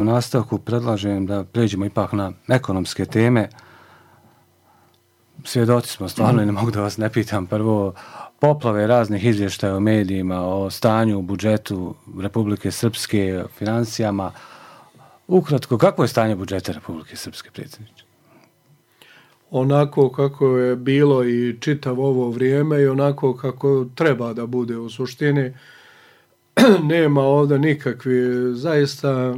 U nastavku predlažem da pređemo ipak na ekonomske teme. Svjedoci smo stvarno i ne mogu da vas ne pitam prvo poplave raznih izvještaja u medijima o stanju u budžetu Republike Srpske, financijama. Ukratko, kako je stanje budžeta Republike Srpske, predsjedniče? Onako kako je bilo i čitav ovo vrijeme i onako kako treba da bude u suštini. Nema ovdje nikakvi, zaista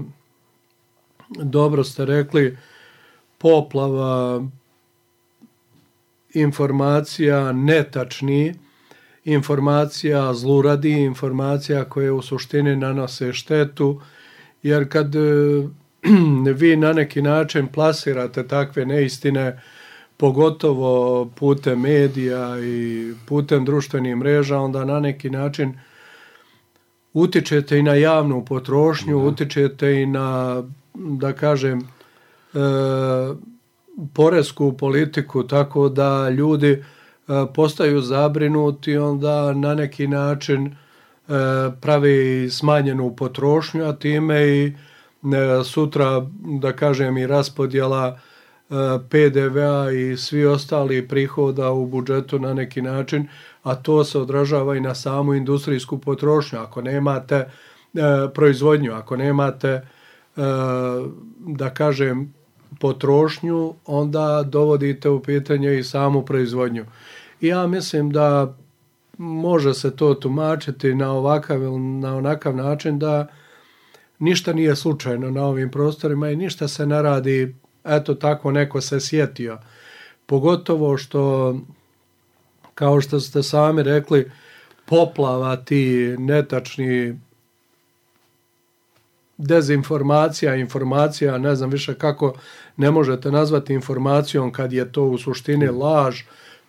dobro ste rekli, poplava informacija netačni, informacija zluradi, informacija koje u suštini nanose štetu, jer kad vi na neki način plasirate takve neistine, pogotovo putem medija i putem društvenih mreža, onda na neki način utičete i na javnu potrošnju, utičete i na, da kažem, poresku politiku, tako da ljudi postaju zabrinuti, onda na neki način pravi smanjenu potrošnju, a time i sutra, da kažem, i raspodjela PDV-a i svi ostali prihoda u budžetu na neki način, a to se odražava i na samu industrijsku potrošnju. Ako nemate proizvodnju, ako nemate, da kažem, potrošnju, onda dovodite u pitanje i samu proizvodnju. I ja mislim da može se to tumačiti na ovakav ili na onakav način da ništa nije slučajno na ovim prostorima i ništa se ne radi, eto tako neko se sjetio. Pogotovo što, kao što ste sami rekli, poplava ti netačni dezinformacija, informacija, ne znam više kako ne možete nazvati informacijom kad je to u suštini laž,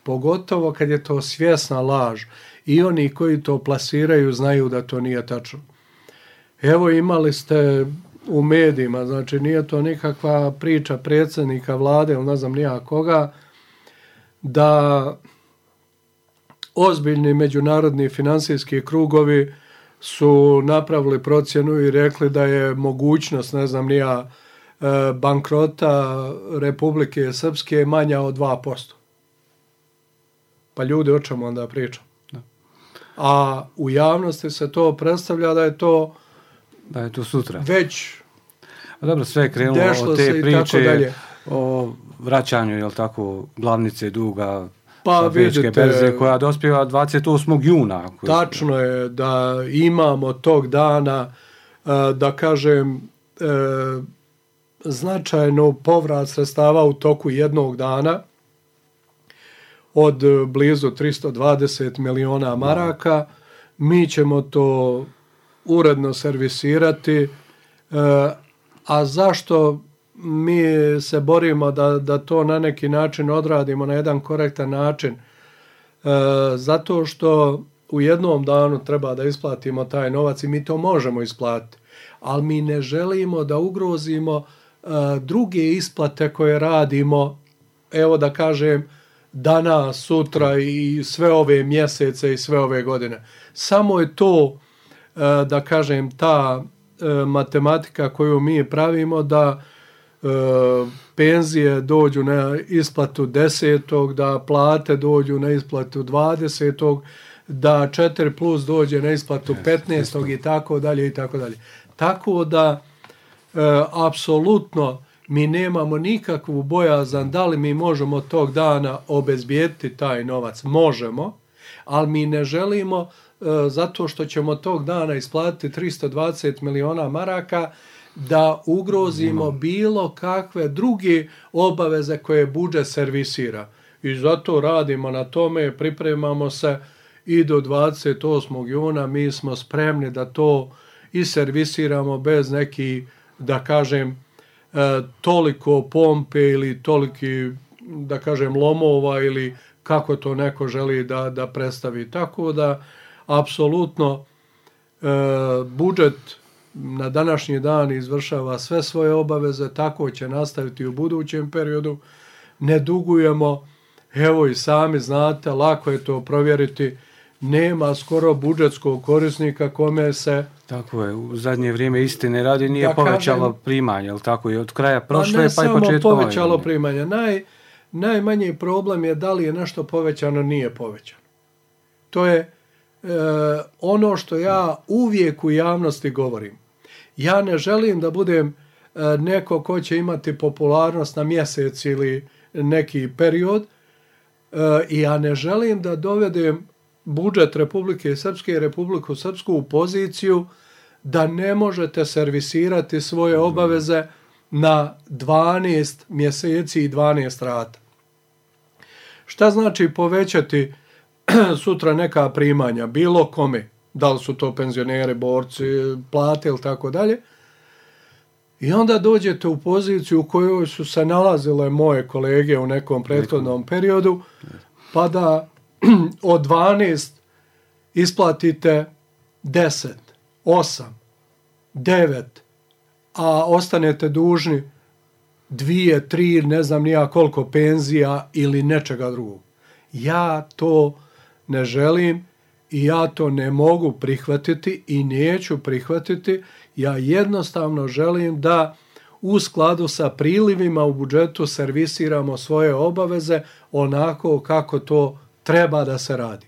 pogotovo kad je to svjesna laž. I oni koji to plasiraju znaju da to nije tačno. Evo imali ste u medijima, znači nije to nikakva priča predsjednika vlade ili ne znam nija koga, da ozbiljni međunarodni financijski krugovi su napravili procjenu i rekli da je mogućnost, ne znam nija, bankrota Republike Srpske manja od 2%. Pa ljudi, o čemu onda pričam? A u javnosti se to predstavlja da je to sutra. Već dobro, sve je krenulo od te priče o vraćanju, jel tako, glavnice duga sa bečke berze koja dospijeva 28. juna. Tačno je da imamo tog dana, da kažem, značajno povrat sredstava u toku jednog dana od blizu 320 miliona maraka. Mi ćemo to uredno servisirati. A zašto mi se borimo da to na neki način odradimo na jedan korektan način? Zato što u jednom danu treba da isplatimo taj novac i mi to možemo isplatiti. Ali mi ne želimo da ugrozimo druge isplate koje radimo, evo da kažem, danas, sutra i sve ove mjesece i sve ove godine. Samo je to, da kažem, ta matematika koju mi pravimo, da penzije dođu na isplatu 10. da plate dođu na isplatu 20. da 4 plus dođe na isplatu 15. i tako dalje i tako dalje. Tako da apsolutno mi nemamo nikakvu bojazan da li mi možemo tog dana obezbijediti taj novac. Možemo, ali mi ne želimo zato što ćemo tog dana isplatiti 320 miliona maraka da ugrozimo bilo kakve druge obaveze koje budžet servisira. I zato radimo na tome, pripremamo se i do 28. juna mi smo spremni da to i servisiramo bez neki, da kažem, toliko pompe ili toliki, da kažem, lomova ili kako to neko želi da predstavi. Tako da, apsolutno, budžet na današnji dan izvršava sve svoje obaveze, tako će nastaviti u budućem periodu. Ne dugujemo, evo i sami znate, lako je to provjeriti. nema skoro budžetskog korisnika kome se... Tako je, u zadnje vrijeme istine radi nije povećalo primanje, jel tako, i od kraja prošle pa i početkom. Ne samo povećalo primanje, najmanji problem je da li je nešto povećano, nije povećano. To je ono što ja uvijek u javnosti govorim. Ja ne želim da budem neko ko će imati popularnost na mjesec ili neki period i ja ne želim da dovedem budžet Republike Srpske i Republiku Srpsku u poziciju da ne možete servisirati svoje obaveze na 12 mjeseci i 12 rata. Šta znači povećati sutra neka primanja, bilo kome, da li su to penzioneri, borci, plate ili tako dalje, i onda dođete u poziciju u kojoj su se nalazile moje kolege u nekom prethodnom periodu, pa da od 12 isplatite 10, 8, 9, a ostanete dužni 2, 3, ne znam nija koliko penzija ili nečega drugog. Ja to ne želim i ja to ne mogu prihvatiti i neću prihvatiti. Ja jednostavno želim da u skladu sa prilivima u budžetu servisiramo svoje obaveze onako kako to treba da se radi.